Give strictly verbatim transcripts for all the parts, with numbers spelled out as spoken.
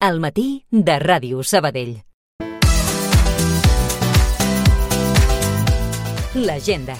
Al matí de Ràdio Sabadell. L'agenda.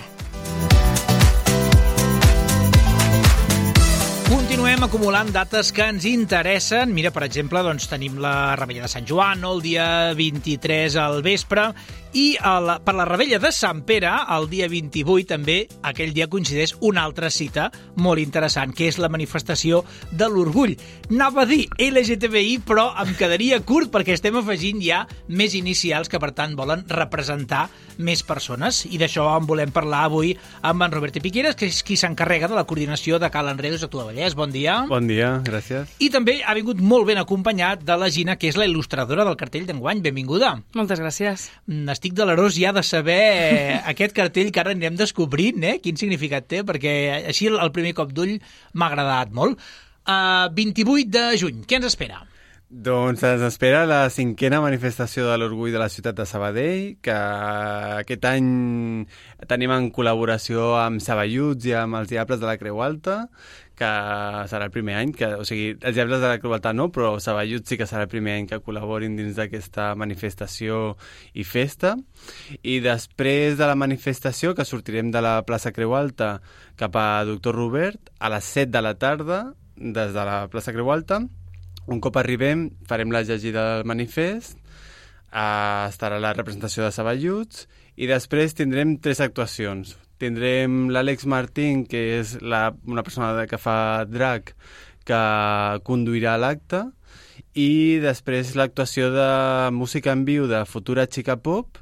Continuem acumulant dates que ens interessen. Mira, per exemple, doncs, tenim la Revetlla de Sant Joan, el dia vint-i-tres al vespre, i el, per la Revetlla de Sant Pere, el dia vint-i-vuit, també, aquell dia coincideix una altra cita molt interessant, que és la manifestació de l'orgull. Anava a dir L G T B I, però em quedaria curt perquè estem afegint ja més inicials que, per tant, volen representar més persones. I d'això en volem parlar avui amb en Roberto Piqueras, que és qui s'encarrega de la coordinació de Cal Enredos a Vallès. Bon dia. Bon dia, gràcies. I també ha vingut molt ben acompanyat de la Gina, que és la il·lustradora del cartell d'enguany. Benvinguda. Moltes gràcies. Estic delerós ja de saber aquest cartell que ara anirem descobrint, eh? Quin significat té, perquè així el primer cop d'ull m'ha agradat molt. Uh, vint-i-vuit de juny, què ens espera? Doncs ens espera la cinquena manifestació de l'orgull de la ciutat de Sabadell, que aquest any tenim en col·laboració amb Saballuts i amb els Diables de la Creu Alta, que serà el primer any, que, o sigui, els Diables de la Creu Alta no, però Saballuts sí que serà el primer any que col·laborin dins d'aquesta manifestació i festa. I després de la manifestació, que sortirem de la plaça Creu Alta cap a Doctor Robert, a les set de la tarda, des de la plaça Creu Alta. Un cop arribem, farem la llegida del manifest, eh, estarà la representació de Saballuts i després tindrem tres actuacions. Tindrem l'Àlex Martín, que és la, una persona que fa drag, que conduirà l'acte, i després l'actuació de música en viu de Futura Chica Pop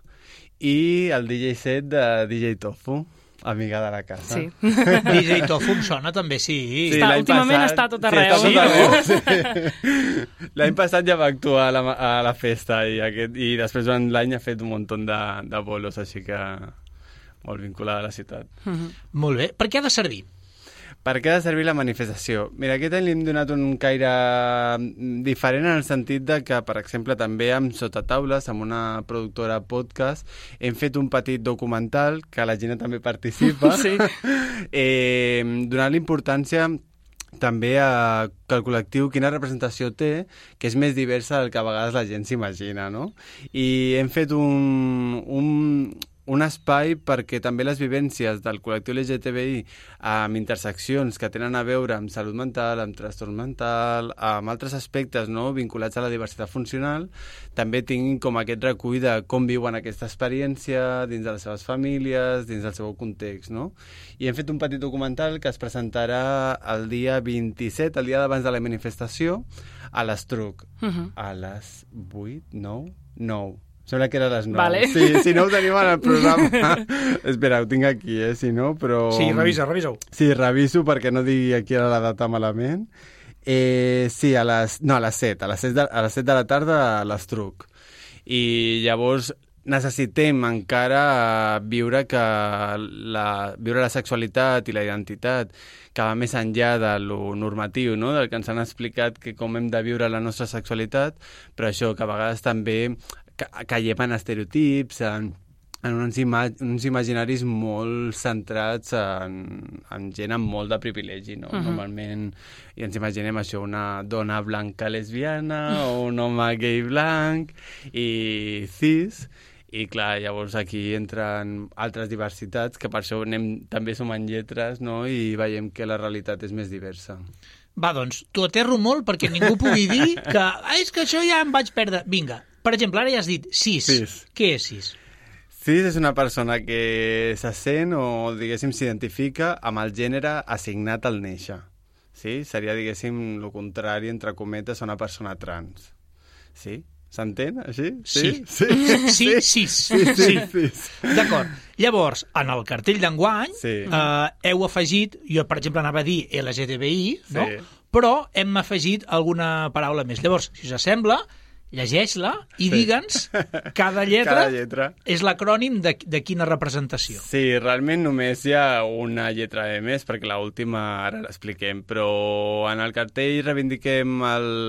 i el D J set de D J Tofu, amiga de la casa. Sí. D J Tofu em sona també, sí. sí està, últimament passat, està tot arreu. Sí, està tot arreu, sí. L'any passat ja va actuar a la, a la festa i, aquest, i després durant l'any ha fet un munt de, de bolos, així que molt vinculada a la ciutat. Uh-huh. Molt bé. Per què ha de servir? Per què ha de servir la manifestació? Mira, aquest any li hem donat un caire diferent en el sentit de que, per exemple, també amb Sota Taules, amb una productora podcast, hem fet un petit documental, que la Gina també participa, sí. eh, donant l'importància també a que el col·lectiu quina representació té, que és més diversa del que a vegades la gent s'imagina, no? I hem fet un... un un espai perquè també les vivències del col·lectiu L G T B I amb interseccions que tenen a veure amb salut mental, amb trastorn mental, amb altres aspectes, no?, vinculats a la diversitat funcional, també tinguin com aquest recull de com viuen aquesta experiència dins de les seves famílies, dins del seu context, no? I hem fet un petit documental que es presentarà el dia vint-i-set, el dia d'abans de la manifestació, a l'Estruc, uh-huh. a les vuit, nou, nou. Sembla que era a les nou. Vale. Sí, si no ho tenim en el programa... Espera, ho tinc aquí, eh, si no, però... Sí, revisa, revisa-ho. Sí, reviso perquè no digui aquí ara la data malament. Eh, sí, a les... No, a les set. A les set de, a les set de la tarda a l'Estruc. I llavors necessitem encara viure que la, viure la sexualitat i la identitat que va més enllà de lo normatiu, no?, del que ens han explicat que com hem de viure la nostra sexualitat, però això, que a vegades també caiem en estereotips, en, en uns, ima uns imaginaris molt centrats en, en gent amb molt de privilegi, no? Uh-huh. Normalment i ens imaginem això, una dona blanca lesbiana o un home gay blanc i cis, i clar, llavors aquí entren altres diversitats, que per això anem, també sumant lletres, no?, i veiem que la realitat és més diversa. Va, doncs, t'ho aterro molt perquè ningú pugui dir que ah, és que això ja em vaig perdre. Vinga, per exemple, ara ja has dit cis. Cis. Què és cis? Cis és una persona que se sent o, diguéssim, s'identifica amb el gènere assignat al néixer. Sí? Seria, diguéssim, el contrari, entre cometes, a una persona trans. Sí? S'entén, així? Sí. Sí, sí, sí. sí. sí, sí, sí. sí. D'acord. Llavors, en el cartell d'enguany sí. eh, heu afegit, jo per exemple anava a dir L G T B I, no? Sí. Però hem afegit alguna paraula més. Llavors, si us sembla, llegeix-la i sí. digue'ns cada lletra, cada lletra és l'acrònim de, de quina representació. Sí, realment només hi ha una lletra de més, perquè l'última ara l'expliquem, però en el cartell reivindiquem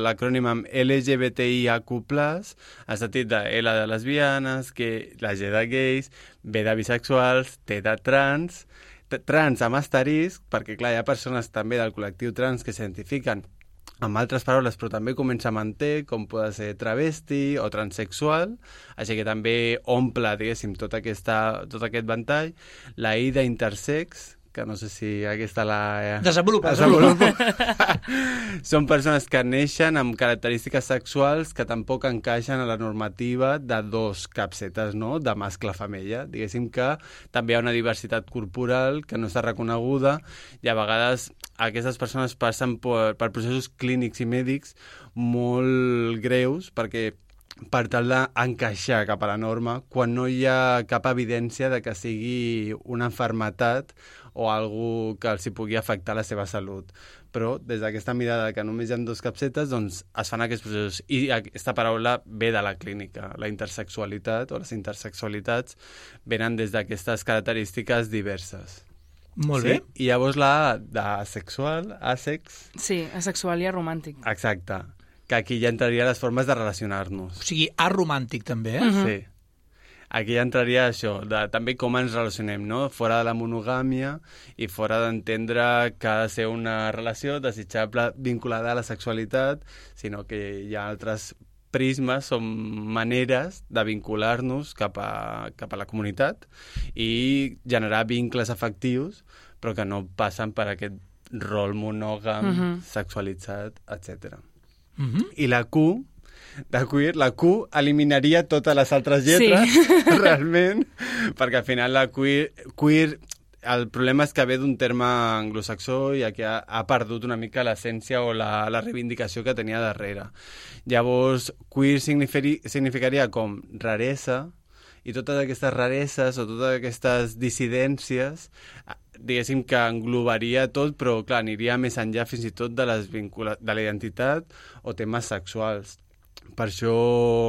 l'acrònim amb L G B T I A Q plus, el sentit de L de lesbianes, que la G de gais, B de bisexuals, T de trans, trans amb asterisc, perquè clar, hi ha persones també del col·lectiu trans que s'identifiquen amb altres paraules, però també comença amb enter, com pot ser travesti o transexual, així que també omple, diguéssim, tot, aquesta, tot aquest ventall. La I d'intersex, que no sé si aquesta la... Desenvolupa, desenvolupa. Són persones que neixen amb característiques sexuals que tampoc encaixen a la normativa de dos capsetes, no?, de mascle-femella. Diguéssim que també hi ha una diversitat corporal que no està reconeguda i a vegades aquestes persones passen per, per processos clínics i mèdics molt greus perquè per tal d'encaixar cap a la norma quan no hi ha cap evidència de que sigui una malaltia o algú que els hi pugui afectar la seva salut. Però des d'aquesta mirada que només hi ha dos capsetes, doncs es fan aquests processos. I aquesta paraula ve de la clínica. La intersexualitat o les intersexualitats venen des d'aquestes característiques diverses. Molt sí? bé. I llavors la d'asexual, àsex... Sí, asexual i aromàntic. Exacte. Que aquí ja entraria les formes de relacionar-nos. O sigui, aromàntic també, eh? Uh-huh. Sí. Aquí ja entraria això, de també com ens relacionem, no? Fora de la monogàmia i fora d'entendre que ha de ser una relació desitjable vinculada a la sexualitat, sinó que hi ha altres prismes, són maneres de vincular-nos cap a, cap a la comunitat i generar vincles afectius, però que no passen per aquest rol monògam, uh-huh. sexualitzat, etcètera. Uh-huh. I la Q, de queer, la Q eliminaria totes les altres lletres, sí. realment, perquè al final la queer, queer, el problema és que ve d'un terme anglosaxó i que ha, ha perdut una mica l'essència o la, la reivindicació que tenia darrere. Llavors, queer significaria com raresa, i totes aquestes rareses o totes aquestes dissidències diguéssim que englobaria tot, però clar, aniria més enllà fins i tot de, les vincula... de la identitat o temes sexuals. Per això,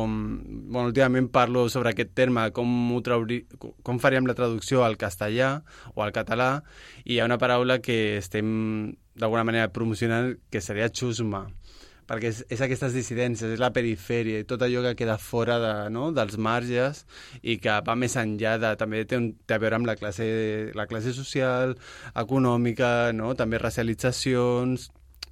bueno, últimament parlo sobre aquest terme, com, ho trauri... com faríem la traducció al castellà o al català, i hi ha una paraula que estem d'alguna manera promocionant que seria xusma, perquè és, és aquestes dissidències, és la perifèria, tot allò que queda fora de, no? dels marges i que va més enllà de... També té, un, té a veure amb la classe, la classe social, econòmica, no? També racialitzacions,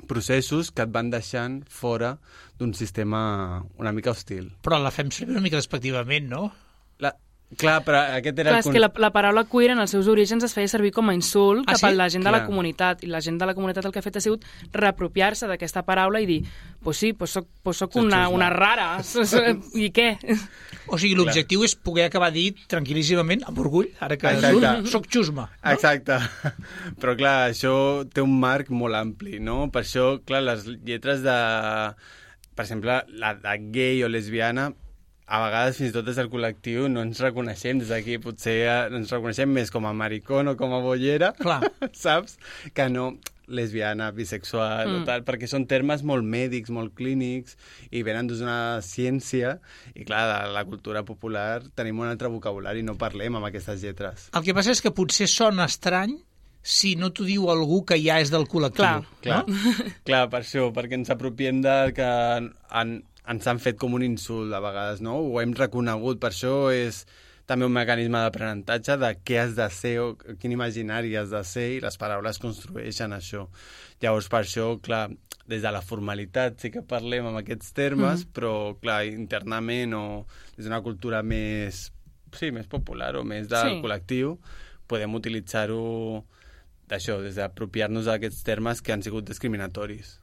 processos que et van deixant fora d'un sistema una mica hostil. Però la fem servir una mica despectivament, no? La... Clar, però aquest era... Clar, el... és que la, la paraula queer en els seus orígens es feia servir com a insult ah, cap sí? a la gent Clar. de la comunitat, i la gent de la comunitat el que ha fet ha sigut reapropiar-se d'aquesta paraula i dir, pues sí, pues soc, pues soc una, una rara, i què? O sigui, l'objectiu és poder acabar dit tranquil·líssimament, amb orgull, ara que Exacte. soc xusma. No? Exacte. Però clar, això té un marc molt ampli, no? Per això, clar, les lletres de... Per exemple, la de gay o lesbiana, a vegades fins i tot des del col·lectiu no ens reconeixem des d'aquí, potser ens reconeixem més com a maricón o com a bollera, clar. saps? Que no lesbiana, bisexual mm. o tal, perquè són termes molt mèdics, molt clínics i venen d'una ciència i clar, de la cultura popular tenim un altre vocabulari i no parlem amb aquestes lletres. El que passa és que potser sona estrany si no t'ho diu algú que ja és del col·lectiu. Clar, clar, no? clar per això, perquè ens apropiem del que han, ens han fet com un insult a vegades, no? Ho hem reconegut, per això és també un mecanisme d'aprenentatge de què has de ser o quin imaginari has de ser i les paraules construeixen això. Llavors, per això, clar, des de la formalitat sí que parlem amb aquests termes, mm. però, clar, internament o des d'una cultura més, sí, més popular o més del sí. col·lectiu, podem utilitzar-ho d'això, des d'apropiar-nos d'aquests termes que han sigut discriminatoris.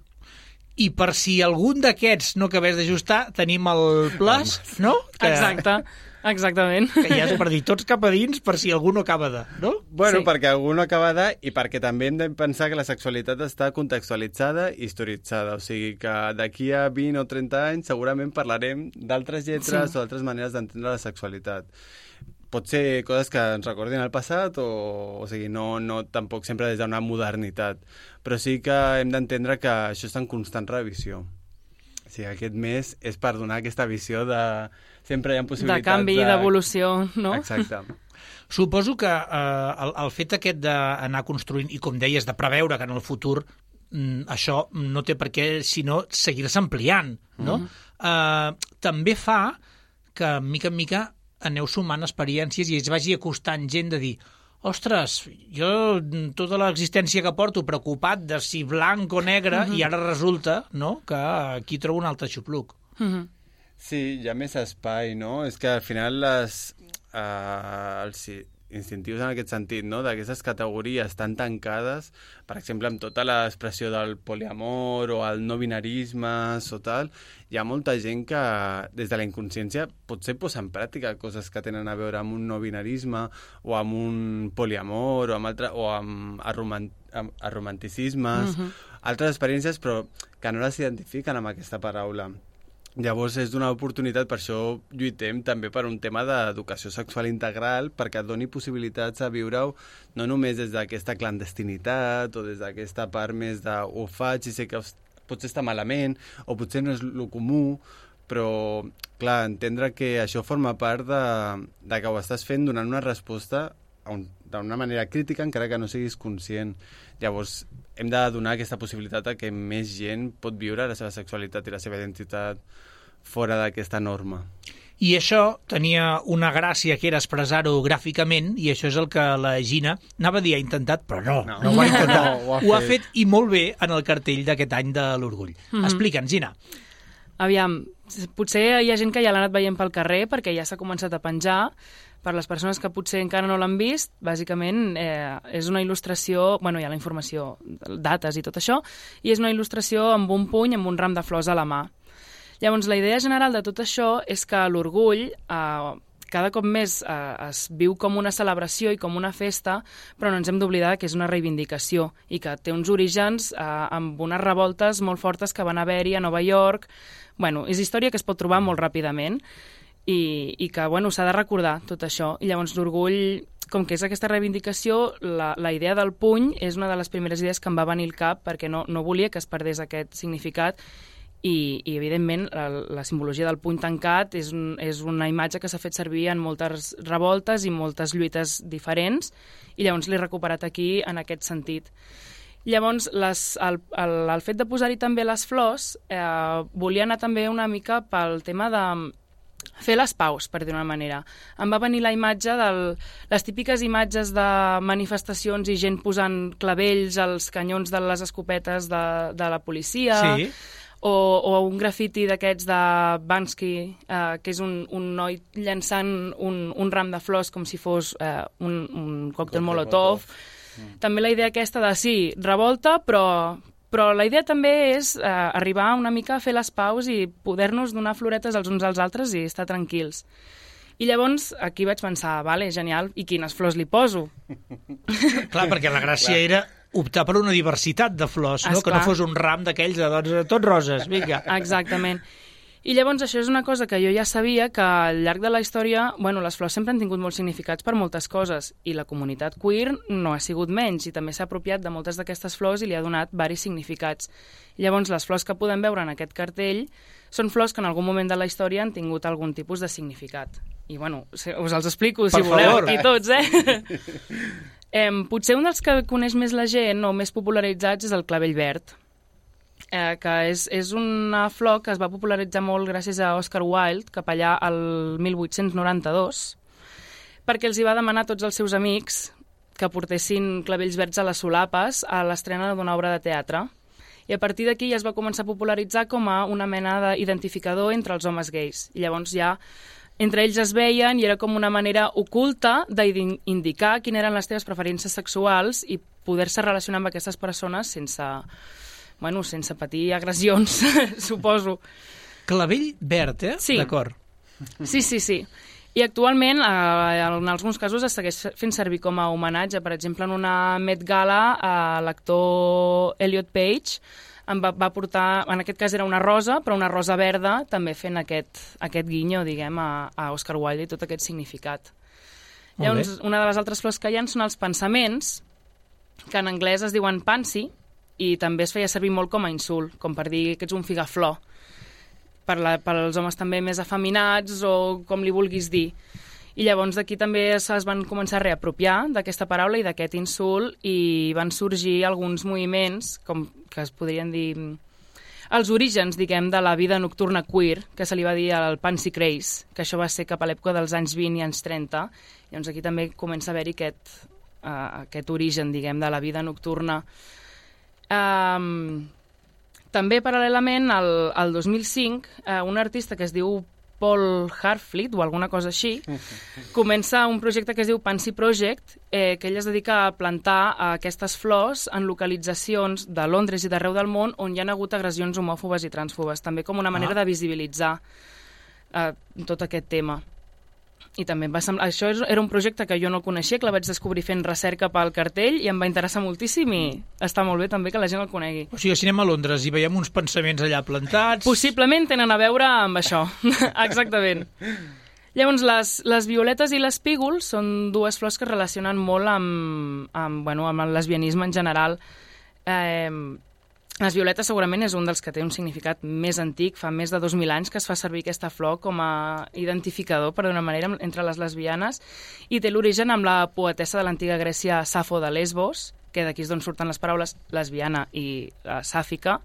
I per si algun d'aquests no acabés d'ajustar, tenim el plus, no? Que... Exacte, exactament. Que ja és per dir tots cap a dins per si algú no acaba de, no? Bueno, sí. perquè algú no acaba de, i perquè també hem de pensar que la sexualitat està contextualitzada i historitzada, o sigui que d'aquí a vint o trenta anys segurament parlarem d'altres lletres sí. o d'altres maneres d'entendre la sexualitat. Pot ser coses que ens recordin el passat o, o sigui, no, no tampoc sempre des d'una modernitat, però sí que hem d'entendre que això està en constant revisió. O sigui, aquest mes és per donar aquesta visió de... Sempre hi ha possibilitats... De canvi, de... d'evolució, no? Exacte. Suposo que eh, el, el fet aquest d'anar construint, i com deies, de preveure que en el futur mm, això no té per què, sinó seguir-se ampliant, no? Mm. Eh, també fa que, mica en mica, aneu sumant experiències i es vagi acostant gent de dir Ostres, jo tota l'existència que porto preocupat de si blanc o negre, uh-huh. i ara resulta, no?, que aquí trobo un altre xupluc. Uh-huh. Sí, hi ha més espai, no? És que al final les, uh, els instintius en aquest sentit, no?, d'aquestes categories tan tancades, per exemple, amb tota l'expressió del poliamor o el no binarismes o tal, hi ha molta gent que des de la inconsciència potser posa en pràctica coses que tenen a veure amb un no binarisme o amb un poliamor o amb, altre, o amb aromanticismes, uh-huh. altres experiències, però que no les identifiquen amb aquesta paraula. Llavors és una oportunitat, per això lluitem també per un tema d'educació sexual integral, perquè et doni possibilitats a viure-ho no només des d'aquesta clandestinitat o des d'aquesta part més de ho faig i sé que potser està malament o potser no és el comú, però clar, entendre que això forma part de, de que ho estàs fent donant una resposta d'una manera crítica encara que no siguis conscient. Llavors hem de donar aquesta possibilitat a que més gent pot viure la seva sexualitat i la seva identitat fora d'aquesta norma. I això tenia una gràcia que era expressar-ho gràficament, i això és el que la Gina, anava a dir ha intentat, però no, no, no ho ha intentat. No, ho, ha ho ha fet i molt bé en el cartell d'aquest any de l'Orgull. Mm-hmm. Explica'ns, Gina. Aviam, potser hi ha gent que ja l'ha anat veient pel carrer perquè ja s'ha començat a penjar. Per les persones que potser encara no l'han vist, bàsicament eh, és una il·lustració, bueno, hi ha la informació, dates i tot això, i és una il·lustració amb un puny, amb un ram de flors a la mà. Llavors, la idea general de tot això és que l'orgull eh, cada cop més eh, es viu com una celebració i com una festa, però no ens hem d'oblidar que és una reivindicació i que té uns orígens eh, amb unes revoltes molt fortes que van haver-hi a Nova York. Bueno, és història que es pot trobar molt ràpidament. I, i que bueno, s'ha de recordar tot això. I llavors l'orgull, com que és aquesta reivindicació, la, la idea del puny és una de les primeres idees que em va venir al cap perquè no, no volia que es perdés aquest significat i, i evidentment, la, la simbologia del puny tancat és, un, és una imatge que s'ha fet servir en moltes revoltes i moltes lluites diferents i llavors l'he recuperat aquí en aquest sentit. Llavors, les, el, el, el fet de posar-hi també les flors eh, volia anar també una mica pel tema de fer les paus, per dir una manera. Em va venir la imatge de les típiques imatges de manifestacions i gent posant clavells als canyons de les escopetes de, de la policia, sí. o, o un grafiti d'aquests de Bansky, eh, que és un, un noi llançant un, un ram de flors com si fos eh, un, un còctel molotov. Mm. També la idea aquesta de, sí, revolta, però... Però la idea també és eh, arribar una mica a fer les paus i poder-nos donar floretes els uns als altres i estar tranquils. I llavors aquí vaig pensar, vale, genial, i quines flors li poso? Clar, perquè la gràcia era optar per una diversitat de flors, no? Que no fos un ram d'aquells de doncs, tot roses, vinga. Exactament. I llavors això és una cosa que jo ja sabia que al llarg de la història, bueno, les flors sempre han tingut molts significats per moltes coses i la comunitat queer no ha sigut menys i també s'ha apropiat de moltes d'aquestes flors i li ha donat varis significats. Llavors les flors que podem veure en aquest cartell són flors que en algun moment de la història han tingut algun tipus de significat. I bueno, us els explico si per voleu, favor. Aquí tots, eh? eh? Potser un dels que coneix més la gent o més popularitzats és el clavell verd. Eh, que és, és una flor que es va popularitzar molt gràcies a Oscar Wilde, cap allà al mil vuit-cents noranta-dos, perquè els hi va demanar a tots els seus amics que portessin clavells verds a les solapes a l'estrena d'una obra de teatre. I a partir d'aquí ja es va començar a popularitzar com a una mena d'identificador entre els homes gais. I llavors ja entre ells es veien i era com una manera oculta d'indicar quines eren les teves preferències sexuals i poder-se relacionar amb aquestes persones sense... Bueno, sense patir agressions, suposo. Clavell verd, eh? Sí. D'acord. Sí, sí, sí. I actualment, eh, en alguns casos, es segueix fent servir com a homenatge. Per exemple, en una Met Gala, eh, l'actor Elliot Page em va, va portar, en aquest cas era una rosa, però una rosa verda, també fent aquest, aquest guinyo, diguem, a, a Oscar Wilde i tot aquest significat. Llavors, una de les altres flors que hi ha són els pensaments, que en anglès es diuen pansy, i també es feia servir molt com a insult, com per dir que ets un figaflor, per, la, per als homes també més afeminats o com li vulguis dir. I llavors d'aquí també es van començar a reapropiar d'aquesta paraula i d'aquest insult i van sorgir alguns moviments, com que es podrien dir els orígens, diguem, de la vida nocturna queer, que se li va dir el Pansy Craze, que això va ser cap a l'època dels anys vint i anys trenta. Llavors aquí també comença a haver-hi aquest, uh, aquest origen, diguem, de la vida nocturna. Um, també, paral·lelament, el, el dos mil cinc, uh, un artista que es diu Paul Hartfleet, o alguna cosa així, comença un projecte que es diu Pansy Project, eh, que ell es dedica a plantar uh, aquestes flors en localitzacions de Londres i d'arreu del món on hi ha hagut agressions homòfobes i transfobes, també com una manera ah. de visibilitzar uh, tot aquest tema. I també em va semblar... Això era un projecte que jo no coneixia, que la vaig descobrir fent recerca pel cartell i em va interessar moltíssim i està molt bé també que la gent el conegui. O sigui, si anem a Londres i veiem uns pensaments allà plantats... Possiblement tenen a veure amb això. Exactament. Llavors, les, les violetes i l'espígol són dues flors que es relacionen molt amb, amb, bueno, amb el lesbianisme en general. Eh, les violetes segurament és un dels que té un significat més antic, fa més de dos mil anys que es fa servir aquesta flor com a identificador, per d'una manera, entre les lesbianes, i té l'origen amb la poetessa de l'antiga Grècia Safo de Lesbos, que d'aquí és d'on surten les paraules lesbiana i uh, sàfica,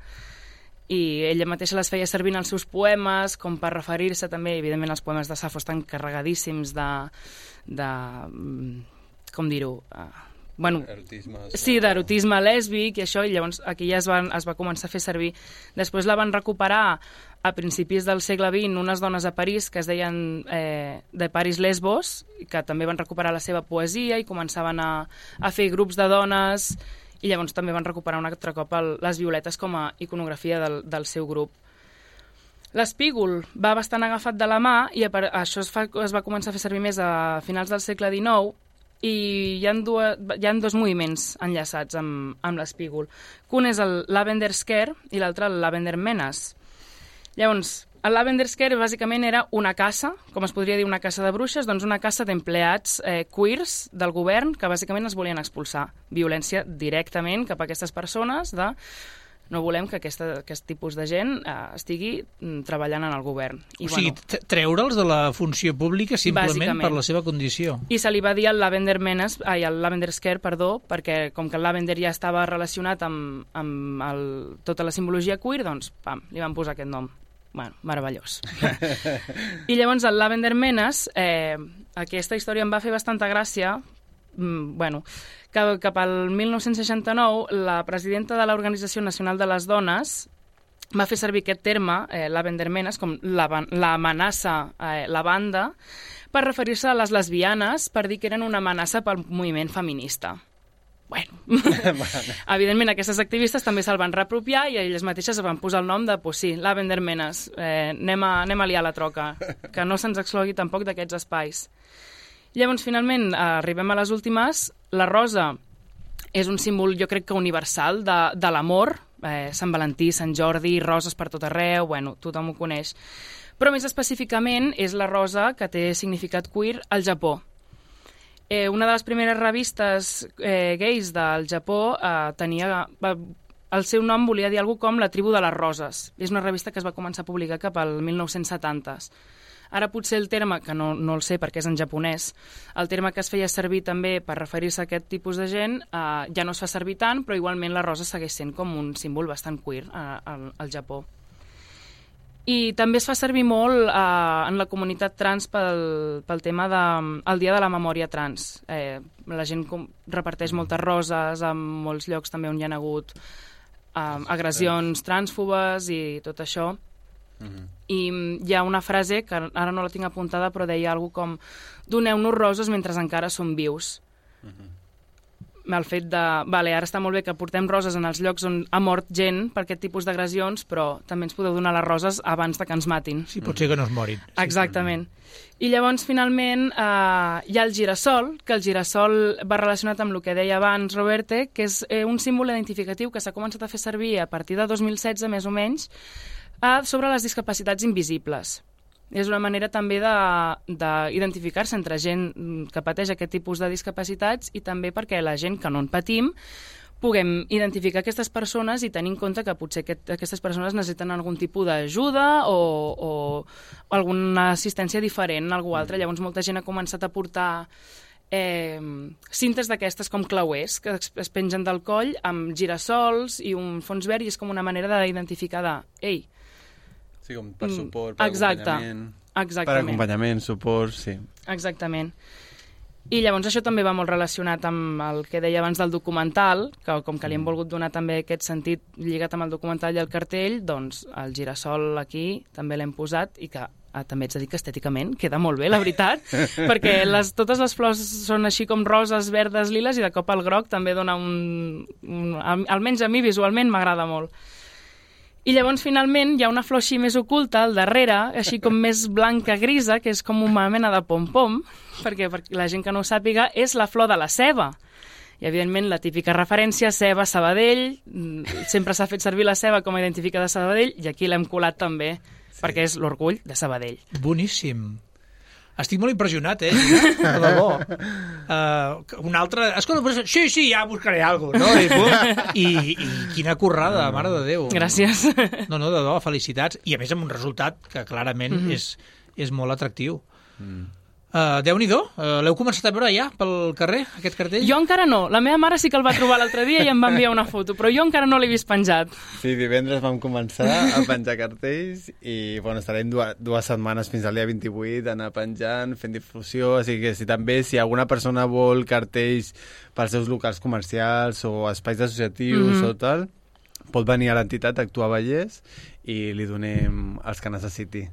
i ella mateixa les feia servir en els seus poemes com per referir-se també, evidentment els poemes de Safo estan carregadíssims de, de com dir-ho, uh, bueno, erotisme, sí, d'erotisme lèsbic i això, i llavors aquí ja es, van, es va començar a fer servir. Després la van recuperar a principis del segle vint unes dones a París que es deien eh, de Paris Lesbos, que també van recuperar la seva poesia i començaven a, a fer grups de dones, i llavors també van recuperar un altre cop el, les violetes com a iconografia del, del seu grup. L'espígol va bastant agafat de la mà i a, això es, fa, es va començar a fer servir més a finals del segle dinou, i hi ha, dues, hi ha dos moviments enllaçats amb, amb l'espígol. Un és el Lavender Scare i l'altre el Lavender Menace. Llavors, el Lavender Scare bàsicament era una caça, com es podria dir una caça de bruixes, doncs una caça d'empleats eh, queers del govern que bàsicament es volien expulsar. Violència directament cap a aquestes persones de... No volem que aquesta, aquest tipus de gent eh, estigui mm, treballant en el govern. I, o sigui, bueno, treure'ls de la funció pública simplement per la seva condició. I se li va dir el Lavender Menace, ai, el Lavender Scare, perdó, perquè com que el Lavender ja estava relacionat amb, amb el, tota la simbologia queer, doncs, pam, li van posar aquest nom. Bueno, meravellós. I llavors el Lavender Menace, eh, aquesta història em va fer bastanta gràcia, mm, bueno... que cap al mil nou-cents seixanta-nou la presidenta de l'Organització Nacional de les Dones va fer servir aquest terme, eh, Lavender Menace, com l'amenaça, eh, la banda, per referir-se a les lesbianes, per dir que eren una amenaça pel moviment feminista. Bueno, evidentment aquestes activistes també se'l van reapropiar i elles mateixes van posar el nom de, pues sí, Lavender Menace, eh, anem, a, anem a liar la troca, que no se'ns exclogui tampoc d'aquests espais. Llavors, finalment, arribem a les últimes. La rosa és un símbol, jo crec que universal, de, de l'amor. Eh, Sant Valentí, Sant Jordi, roses per tot arreu, bueno, tothom ho coneix. Però més específicament és la rosa que té significat queer al Japó. Eh, una de les primeres revistes eh, gais del Japó eh, tenia... Eh, el seu nom volia dir alguna com la tribu de les roses. És una revista que es va començar a publicar cap al mil nou-cents setanta. Ara potser el terme, que no, no el sé perquè és en japonès, el terme que es feia servir també per referir-se a aquest tipus de gent eh, ja no es fa servir tant, però igualment la rosa segueix sent com un símbol bastant queer eh, al, al Japó. I també es fa servir molt eh, en la comunitat trans pel, pel tema del de, Dia de la Memòria Trans. Eh, la gent com, reparteix moltes roses, en molts llocs també on hi ha hagut eh, agressions trànsfobes i tot això. Uh-huh. I hi ha una frase que ara no la tinc apuntada però deia alguna com doneu-nos roses mentre encara som vius. Uh-huh. El fet de, vale, ara està molt bé que portem roses en els llocs on ha mort gent per aquest tipus d'agressions, però també ens podeu donar les roses abans de que ens matin. Sí, pot ser que no es morin. Exactament. I llavors, finalment, eh, hi ha el girassol, que el girassol va relacionat amb el que deia abans Roberte, que és eh, un símbol identificatiu que s'ha començat a fer servir a partir de dos mil setze, més o menys, eh, sobre les discapacitats invisibles. És una manera també d'identificar-se entre gent que pateix aquest tipus de discapacitats i també perquè la gent que no en patim puguem identificar aquestes persones i tenir en compte que potser aquest, aquestes persones necessiten algun tipus d'ajuda o, o, o alguna assistència diferent a algú altre. Llavors molta gent ha començat a portar eh, cintes d'aquestes com clauers que es pengen del coll amb girassols i un fons verd i és com una manera d'identificar de, ei, sí, com per suport, per Exacte. acompanyament. Exactament. Per acompanyament, suport, sí. Exactament. I llavors això també va molt relacionat amb el que deia abans del documental, que com que li hem volgut donar també aquest sentit lligat amb el documental i el cartell, doncs el girassol aquí també l'hem posat i que ah, també ets a dir que estèticament queda molt bé, la veritat, perquè les, totes les flors són així com roses, verdes, liles, i de cop el groc també dona un... un almenys a mi visualment m'agrada molt. I llavors, finalment, hi ha una flor així més oculta al darrere, així com més blanca grisa, que és com una mena de pom-pom, perquè, perquè la gent que no ho sàpiga, és la flor de la ceba. I, evidentment, la típica referència, ceba, Sabadell, sempre s'ha fet servir la ceba com a identificador de Sabadell, i aquí l'hem colat també, sí, perquè és l'orgull de Sabadell. Boníssim. Estic molt impressionat, eh, Gina? De debò. Uh, un altre... Escolta, però... sí, sí, ja buscaré alguna cosa, no? I, i, i quina currada, mare de Déu. Gràcies. No, no, de debò, felicitats. I, a més, amb un resultat que clarament mm-hmm. és, és molt atractiu. Mm. Uh, Déu-n'hi-do, uh, l'heu començat a veure ja pel carrer, aquest cartell? Jo encara no. La meva mare sí que el va trobar l'altre dia i em va enviar una foto, però jo encara no l'he vist penjat. Sí, divendres vam començar a penjar cartells i bueno, estarem dues, dues setmanes fins al dia vint-i-vuit anar penjant, fent difusió, així que si també si alguna persona vol cartells pels seus locals comercials o espais associatius mm-hmm. o tal, pot venir a l'entitat Actuar Vallès i li donem els que necessiti.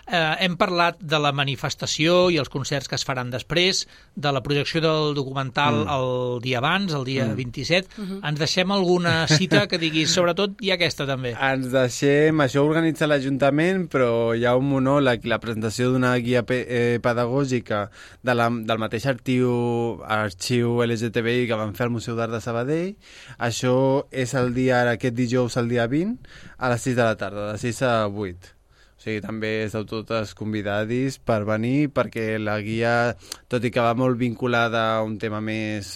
Eh, hem parlat de la manifestació i els concerts que es faran després, de la projecció del documental mm. el dia abans, el dia mm. vint-i-set. Mm-hmm. Ens deixem alguna cita que diguis, sobretot, i aquesta també. Ens deixem, això ho organitza l'Ajuntament, però hi ha un monòleg, la presentació d'una guia pe eh, pedagògica de la, del mateix arxiu, arxiu L G T B I que vam fer al Museu d'Art de Sabadell. Això és el dia, aquest dijous, el dia vint, a les sis de la tarda, de sis a vuit. O sigui, també esteu totes convidadis per venir, perquè la guia, tot i que va molt vinculada a un tema més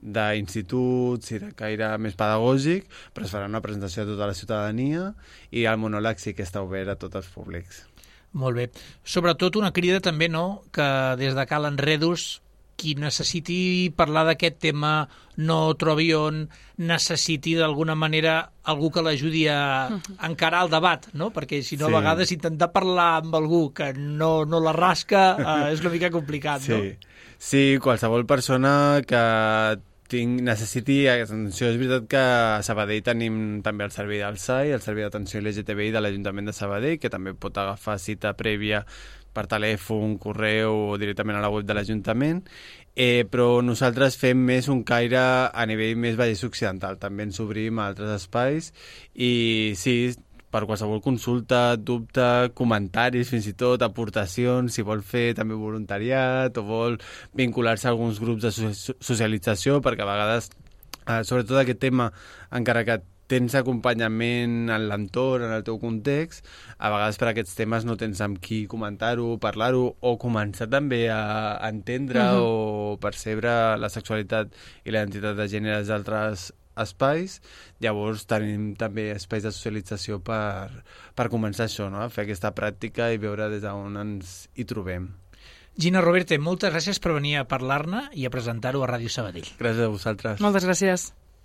d'instituts i de caire més pedagògic, però es farà una presentació a tota la ciutadania i el monòleg sí que està obert a tots els públics. Molt bé. Sobretot una crida també, no?, que des de Cal Enredos qui necessiti parlar d'aquest tema no trobi on, necessiti d'alguna manera algú que l'ajudi a encarar el debat, no? Perquè si no, sí. a vegades intentar parlar amb algú que no, no la rasca eh, és una mica complicat, sí. no? Sí, qualsevol persona que tinc, necessiti atenció. És veritat que a Sabadell tenim també el servei del S A I, el servei d'atenció L G T B I de l'Ajuntament de Sabadell, que també pot agafar cita prèvia per telèfon, correu o directament a la web de l'Ajuntament, eh, però nosaltres fem més un caire a nivell més Vallès Occidental, també ens obrim a altres espais i sí, per qualsevol consulta, dubte, comentaris, fins i tot aportacions, si vol fer també voluntariat o vol vincular-se a alguns grups de socialització, perquè a vegades, eh, sobretot aquest tema, encara que tens acompanyament en l'entorn, en el teu context, a vegades per aquests temes no tens amb qui comentar-ho, parlar-ho, o començar també a entendre uh-huh. o percebre la sexualitat i la identitat de gènere d'altres espais. Llavors tenim també espais de socialització per, per començar això, no? A fer aquesta pràctica i veure des d'on ens hi trobem. Gina Roberte, moltes gràcies per venir a parlar-ne i a presentar-ho a Ràdio Sabadell. Gràcies a vosaltres. Moltes gràcies.